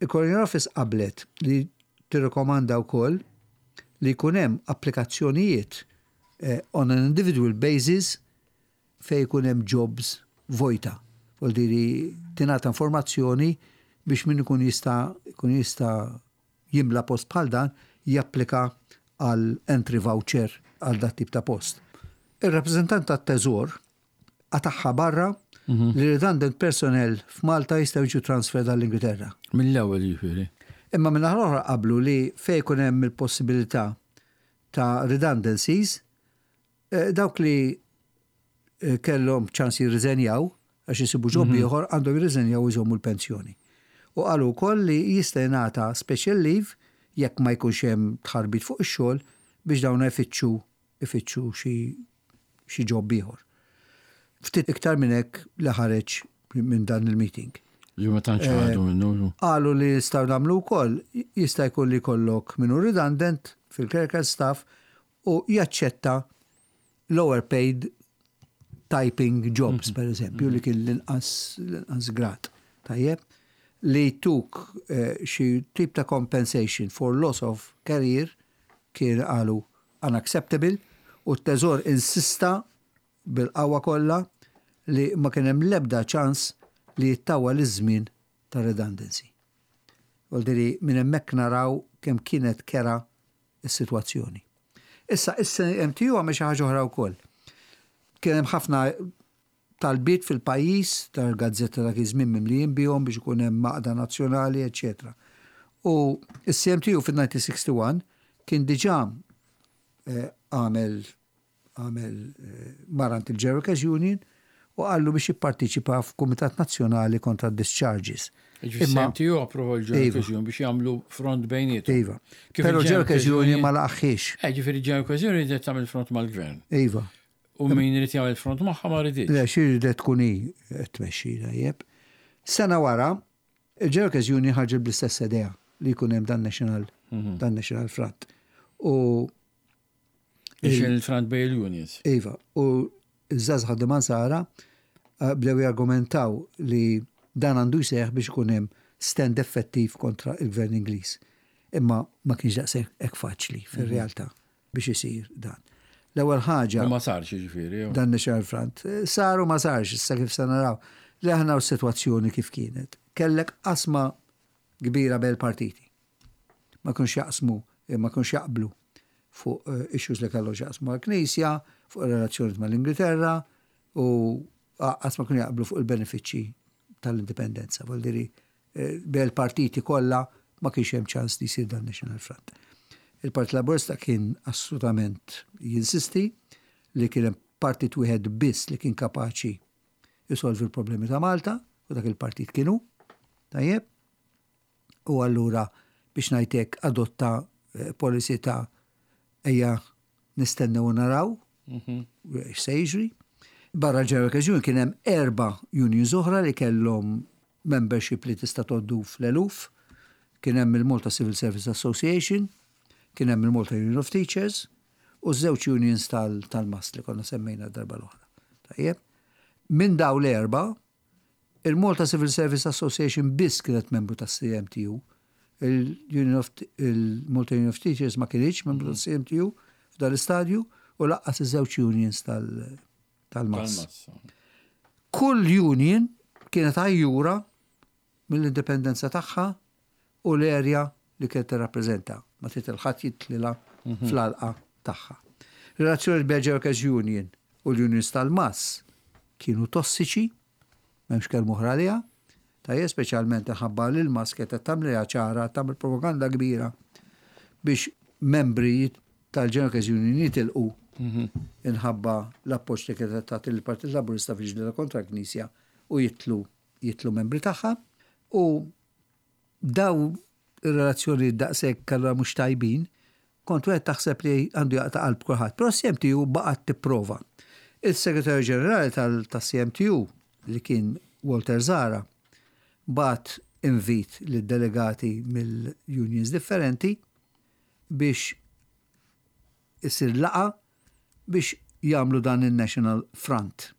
Il-Colonial Office qablet li tirrekomanda wkoll li jkun hemm applikazzjonijiet on an individual basis fejn ikun hemm jobs vojta. Vuol dire tingħata informazzjoni biex min ikun jista' jkun jista' jimla post bħal dan japplika għal entry voucher għal dat tip ta' post. Ir-rappreżentant tat-Teżor qatagħha barra li redundant personnel f'Malta jistgħu jiġu transferred għall-Ingilterra. Mill-ewwel jiġifieri. Imma min-naħa l-oħra qablu li fejn ikun hemm il-possibilità ta' redundancies, dawk li kellhom ċans jirriżenjaw għax isibu job ieħor għandhom jirriżenjaw u jżommu l-pensjoni. U qalu wkoll li jista' jingħata special leave jekk ma jkunx hemm tħarbit fuq ix-xogħol biex dawn ifittxu ifittxu xi xi job ieħor. Ftit iktar minn hekk li ħareġ minn dan il-meeting. Li ma tantx ħadu minnu. Qalu li jistgħu nagħmlu wkoll, jista' jkun li jkollok min hu redundant fil-clerical staff u jaċċetta lower paid typing jobs, per eżempju, li kien l-inqas l-inqas grad. Tajjeb? Li tuk xi tip ta' compensation for loss of career kien qalu unacceptable u t-Teżor insista bil-qawwa kollha li ma kien hemm l-ebda ċans li jittawwal iż-żmien ta' redundancy. Vuol dire minn hemmhekk naraw kemm kienet kerha s-sitwazzjoni. Issa, is-CMTU għamel xi ħaġa oħra wkoll. Kien hemm ħafna talbiet fil-pajjiż, tal-gazzetta dak iż-żmien mimlijin bihom biex ikun hemm għaqda nazzjonali, eċċetera. U s-CMTU fin-1961 kien diġà għamel għamel mar għand il-General Workers Union u qallu biex jipparteċipa f'Kumitat Nazzjonali kontra d-discharges. Jiġifieri CMTU approva l-General Workers Union biex jagħmlu front bejniethom. Iva. Però l-General Workers Union ma laqagħhiex. Eh, ġifieri l-General Workers Union ridet tagħmel front mal-Gvern. Iva. U min irid jagħmel front magħha ma riditx. Le, xi ridet tkun hi qed tmexxi tajjeb. Sena wara, il-General Workers Union ħarġet bl-istess idea li jkun hemm dan national dan national front. U Il-front bej il-unions. Iva, u ż-żgħażagħ ħaddiema Nsara bdew jargumentaw li dan għandu jseħħ biex ikun hemm stand effettiv kontra l-Gvern Ingliż. Imma ma kienx daqshekk hekk faċli fir-realtà biex isir dan. L-ewwel ħaġa. U ma sarx jiġifieri. Dan National Front. Sar u ma sarx, issa kif se naraw. Li aħna u s-sitwazzjoni kif kienet. Kellek qasma kbira bejn il-partiti. Ma kinux jaqsmu, ma kinux jaqblu fuq issues li kellhom x'jaqsmu mal-Knisja, fuq ir-relazzjonijiet mal-Ingilterra u qatt ma kienu jaqblu fuq il-benefiċċji tal-indipendenza. Vuol dire bejn il-partiti kollha ma kienx hemm ċans li jsir dan National Front. Il-Partit Laburista kien assolutament jinsisti li kien hemm partit wieħed biss li kien kapaċi. jsolvi l-problemi ta' Malta, u dak il-partit kien hu, tajjeb, u allura biex ngħid hekk adotta eh, policy ta' ejja nistennew u naraw x'se jiġri. Barra l-General Workers Union kien hemm erba' unions oħra li kellhom membership li tista' tgħoddu fl-eluf. Kien hemm il-Malta Civil Service Association, kien hemm il-Malta Union of Teachers u ż-żewġ unions tal-MAST li konna semmejna d-darba l-oħra. Tajjeb. Minn daw l-erba', il-Malta Civil Service Association biss kienet membru tas-CMTU. Il-Union of il-Malta Union of Teachers ma kinitx membru tas-CMTU f'dan l-istadju u lanqas iż-żewġ unions tal-MAS. Kull union kienet għajjura mill-indipendenza tagħha u l-area li kienet tirrappreżenta, ma trid 'il ħadd jidħlilha fl-għalqa tagħha. Relazzjonijiet bejn Workers Union u l-unions tal-MAS kienu tossiċi, m'hemmx kelma oħra għaliha, tajjeb speċjalment minħabba li l-MAS kienet qed tagħmilha ċara, tagħmel propaganda kbira biex membri tal-General Workers Union jitilqu inħabba l-appoġġ li kienet qed tagħti lill-Partit Laburista fil-ġlieda kontra l-Knisja u jitlu jitlu membri tagħha u daw ir-relazzjonijiet daqshekk allura mhux tajbin, kont wieħed taħseb li għandu jaqta' qalb kulħadd. Però s-CMTU baqgħet tipprova. Il-Segretarju Ġenerali tas-CMTU li kien Walter Zahra bagħat invit lid-delegati mill-unions differenti biex isir laqgħa biex jagħmlu dan in-National Front.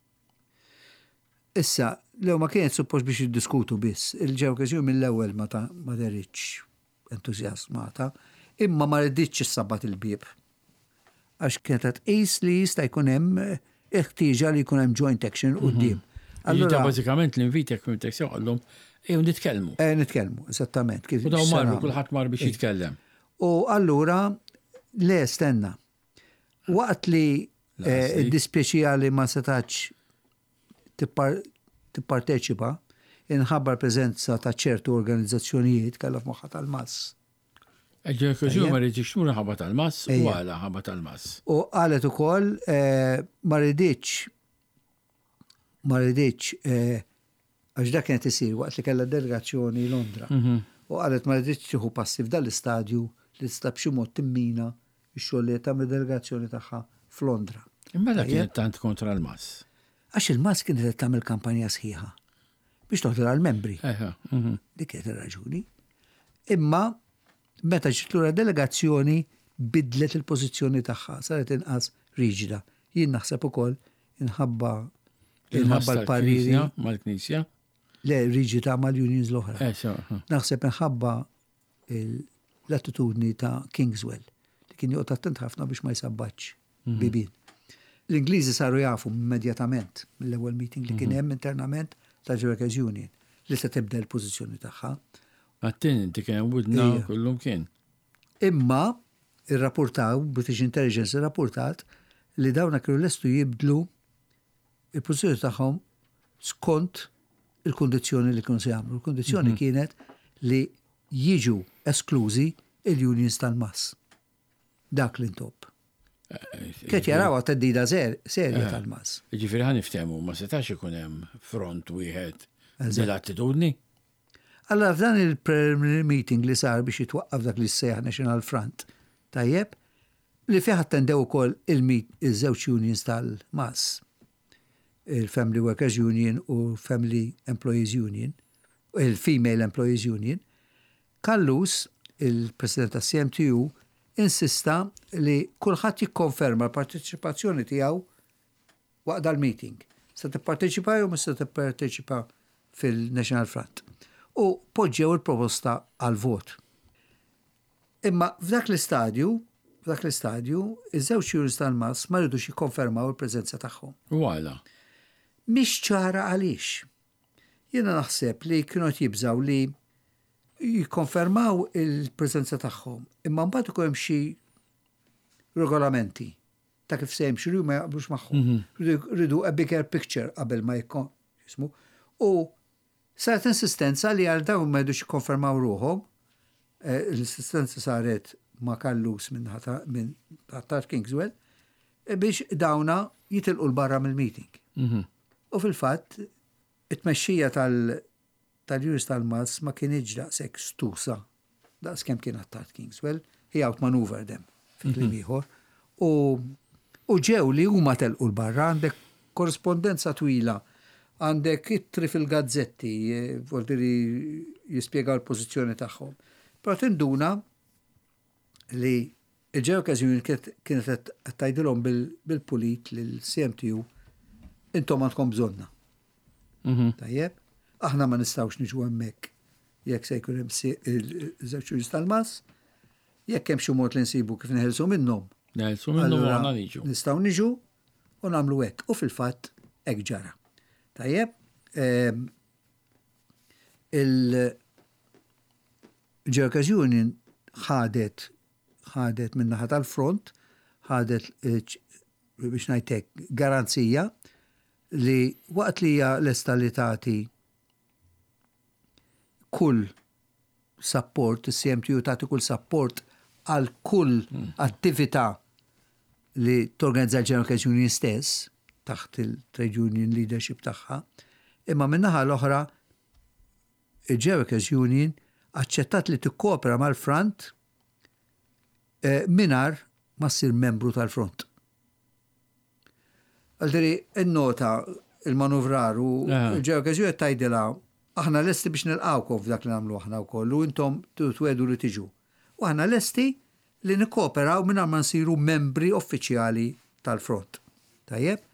Issa, lew ma kienet suppost biex jiddiskutu biss, il-Ġewkes mill-ewwel ma ta' ma deritx entużjasmata, imma ma riditx issabbat il-bieb. Għax kienet qed tqis li jista' jkun hemm il-ħtieġa li jkun hemm joint action quddiem. Allura bażikament l-invit jekk fimtek sew qallhom ejjew nitkellmu. Eh, nitkellmu, eżattament. U dawn marru kulħadd mar biex jitkellem. U allura le stenna. Waqt li eh, iddispjaċiha li ma setax tipparteċipa inħabba l-preżenza ta' ċertu organizzazzjonijiet kellha f'moħħha tal-mass. Ġew ma rridx tmur ħabba tal-mass u għala ħabba tal-mass. U qalet ukoll eh, ma rridx ma rridx eh, Għax dak kien qed isir waqt li kellha delegazzjoni Londra. U qalet ma riditx tieħu passi f'dan l-istadju li tista' b'xi mod timmina x-xogħol li qed tagħmel id-delegazzjoni tagħha f'Londra. Imma għala kienet tant kontra l-MAS? Għax il-MAS kienet qed tagħmel kampanja sħiħa biex toħdilha l-membri. Dik kienet ir-raġuni. Imma meta ġiet lura delegazzjoni bidlet il-pożizzjoni tagħha, saret inqas riġida. Jien naħseb ukoll inħabba inħabba l-pariri. Mal-Knisja? Le, riġida mal-unions l-oħra. Eh, naħseb inħabba l-attitudni ta' Kingswell, li kien joqgħod attent ħafna biex ma jsabbaċ mhm. bibien. L-Ingliżi saru jafu immedjatament mill-ewwel meeting li kien mhm. hemm internament tal-Workers Union li se tibda l-pożizzjoni tagħha. Għattin inti kien hemm widna kullum kien. Imma irrapportaw, British Intelligence irrapportat li dawna kienu lestu jibdlu il-pożizzjoni tagħhom skont il-kundizzjoni li kienu se jagħmlu. Il-kundizzjoni mhm. kienet li jiġu esklużi il-unions tal-mass. Dak li ntopp. Kienet jarawha theddida serja eh, tal-mass. Ġifieri ħa niftehmu ma setax ikun hemm front wieħed dil-attitudni. Allora f'dan il-preliminary meeting li sar biex jitwaqqaf dak li sejjaħ National Front, tajjeb, li fih attendew ukoll il-żewġ unions tal-MAS, il-Family Workers Union u Family Employees Union, il-Female Employees Union, Callus, il-President tas-CMTU, insista li kulħadd jikkonferma l-parteċipazzjoni tiegħu waqt dal-meeting. Se tipparteċipa jew mhux se tipparteċipa fil-National Front. U poġġew il-proposta għal vot. Imma f'dak l-istadju, f'dak l-istadju, iż-żewġ unions tal-MAS ma ridux jikkonfermaw il-preżenza tagħhom. U għala? Mhix ċara għaliex. Jiena naħseb li kienu qed jibżgħu li jikkonfermaw il-preżenza tagħhom, imma mbagħad ikun hemm xi regolamenti ta' kif se jimxu li ma jaqblux magħhom. Mhm. Ridu a bigger picture qabel ma jismu. U saret insistenza li għal dawn ma jidux jikkonfermaw ruħhom, eh, l-insistenza saret ma' Kallus minn minn Tar Kingswell, eh, biex dawna jitilqu l-barra mill-meeting. Mhm. U fil-fatt, It-tmexxija tal tal-Unions tal-MAS ma kinitx daqshekk stusa daqs kemm kien Attard Kingswell, he outmaneuvered them fi kliem ieħor. U u ġew li huma telqu 'l barra, għandek korrispondenza twila, għandek ittri fil-gazzetti, vuol dire jispjegaw il-pożizzjoni tagħhom. Però tinduna li il-Ġeokes Union kienet qed tgħidilhom bil-pulit lill-CMTU intom għandkom bżonna. Mhm. Tajjeb, aħna ma nistgħux niġu hemmhekk jekk se jkun hemm żewġ unions tal-mass, jekk hemm xi mod li nsibu kif neħelsu minnhom. Neħelsu minnhom u aħna niġu. Nistgħu niġu u nagħmlu hekk. U fil-fatt hekk ġara. Tajjeb, ehm, il Workers Union ħadet ħadet min-naħa tal-front, ħadet eh, biex ngħidlek garanzija li waqt li hija lesta li tagħti kull sapport, is-CMTU tagħti kull sapport għal kull hmm. attività li torganizza l-General Workers Union stess taħt il-trade union leadership tagħha, imma min-naħa l-oħra il-Workers Union aċċettat li tikkopera mal-front eh, mingħajr ma ssir membru tal-front. Għaldiri, innota il-manuvrar u il-Workers Union tgħidilha aħna lesti biex nilqawkom f'dak li nagħmlu aħna wkoll u intom twedu li tiġu. U aħna lesti li nikkooperaw mingħajr ma nsiru membri uffiċjali tal-front. Tajjeb?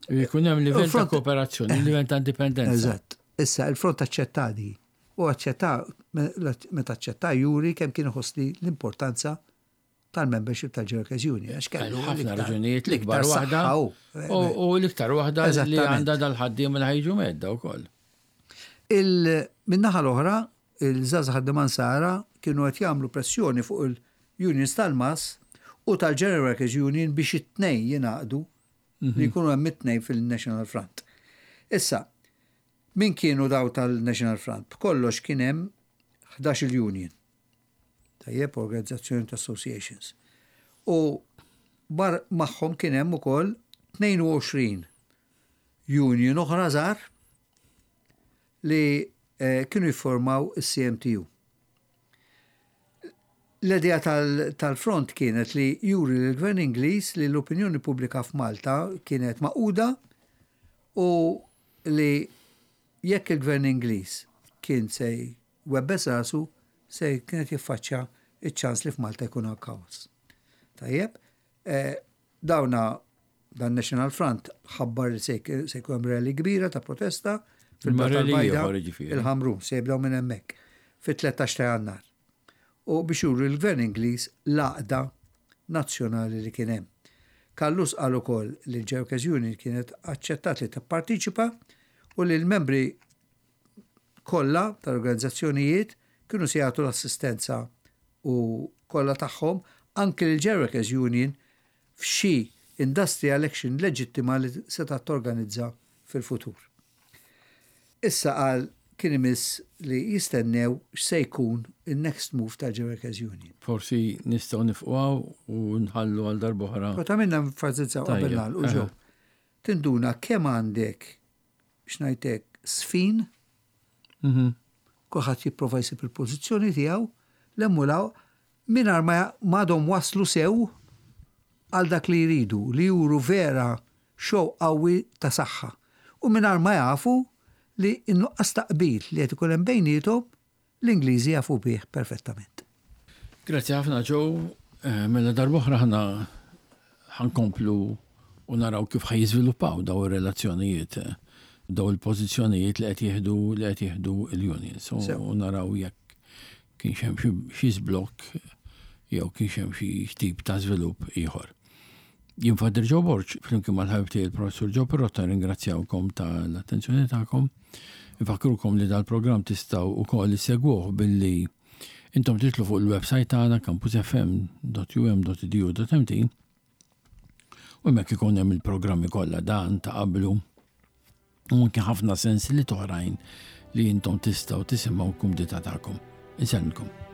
Jkun hemm livell ta' kooperazzjoni, livell ta' indipendenza. Eżatt. Issa, il-front aċċetta di. U aċċetta, meta aċċetta juri kemm kien iħoss li l-importanza tal-membership tal-Workers Union. Għax kellu ħafna raġunijiet l-ikbar waħda. U l-iktar waħda li għandha dal-ħaddiem li ħajġu medda wkoll. Min-naħa l-oħra, il-żgħażagħ ħaddiema Nsara kienu qed jagħmlu pressjoni fuq il-unions tal-MAS u tal-General Workers Union biex it-tnejn jingħaqdu li jkunu hemm it-tnejn fil-National Front. Issa, min kienu daw tal-National Front? B'kollox kien hemm 11 union. Tajjeb, organizzazzjoni ta' associations. U bar magħhom kien hemm ukoll 22 union oħra żgħar li eh, kienu jiffurmaw is-CMTU. L-idea tal-front kienet li juri lill-Gvern Ingliż li l-opinjoni pubblika f'Malta kienet magħquda u li jekk il-Gvern Ingliż kien se jwebbes rasu se kien qed jiffaċċja ċ-ċans li f'Malta jkun hawn kaos. Tajjeb, eh, dawna dan National Front ħabbar li se jkun hemm rally kbira ta' protesta fil-Belt tal-Bajda, il-Ħamrun, se jibdew minn hemmhekk fit-13 ta' Jannar. U biex juru l-Gvern Ingliż l-għaqda nazzjonali li kien hemm. Callus qal ukoll li l-Workers Union kienet aċċettat li tipparteċipa u li l-membri kollha tal-organizzazzjonijiet kienu se jagħtu l-assistenza u kollha tagħhom anke lill-Workers Union f'xi industrial action leġittima li setgħet torganizza fil-futur. Issa qal kien imiss li jistennew x'se jkun in-next move tal-Workers Union. Forsi nistgħu nifqu hawn u nħallu għal darb'oħra. Kont għamilna enfasizzaw qabel nagħlqu ġew. Tinduna kemm għandek x'ngħidlek sfin, mhm. kulħadd jipprova jsib il-pożizzjoni tiegħu, l-hemm mingħajr ma m'għadhom waslu sew għal dak li jridu, li juru vera show qawwi ta' saħħa. U mingħajr ma jafu li n-nuqqas ta' qbil li qed ikun hemm bejniethom l-Ingliżi jafu bih perfettament. Grazzi ħafna Joe, eh, mela darb'oħra ħna ħankomplu u naraw kif ħa jiżviluppaw daw ir-relazzjonijiet, eh, daw il-pożizzjonijiet li qed jieħdu li qed jieħdu l-unions u naraw jekk kienx hemm xi żblokk jew kienx hemm xi tip ta' żvilupp ieħor. Jien Father Joe Borg, flimkien mal-ħabib tiegħi il-Professur Joe Pirotta ringrazzjawkom tal-attenzjoni tagħkom. Infakkrukom li dal-programm tistgħu wkoll issegwuh billi intom titlu fuq il-website tagħna campusfm.um.edu.mt u hemmhekk ikun hemm il-programmi kollha dan ta' qablu u anke ħafna sensiliet oħrajn li intom tistgħu tisimgħu kumdità tagħkom. Insellmilkom.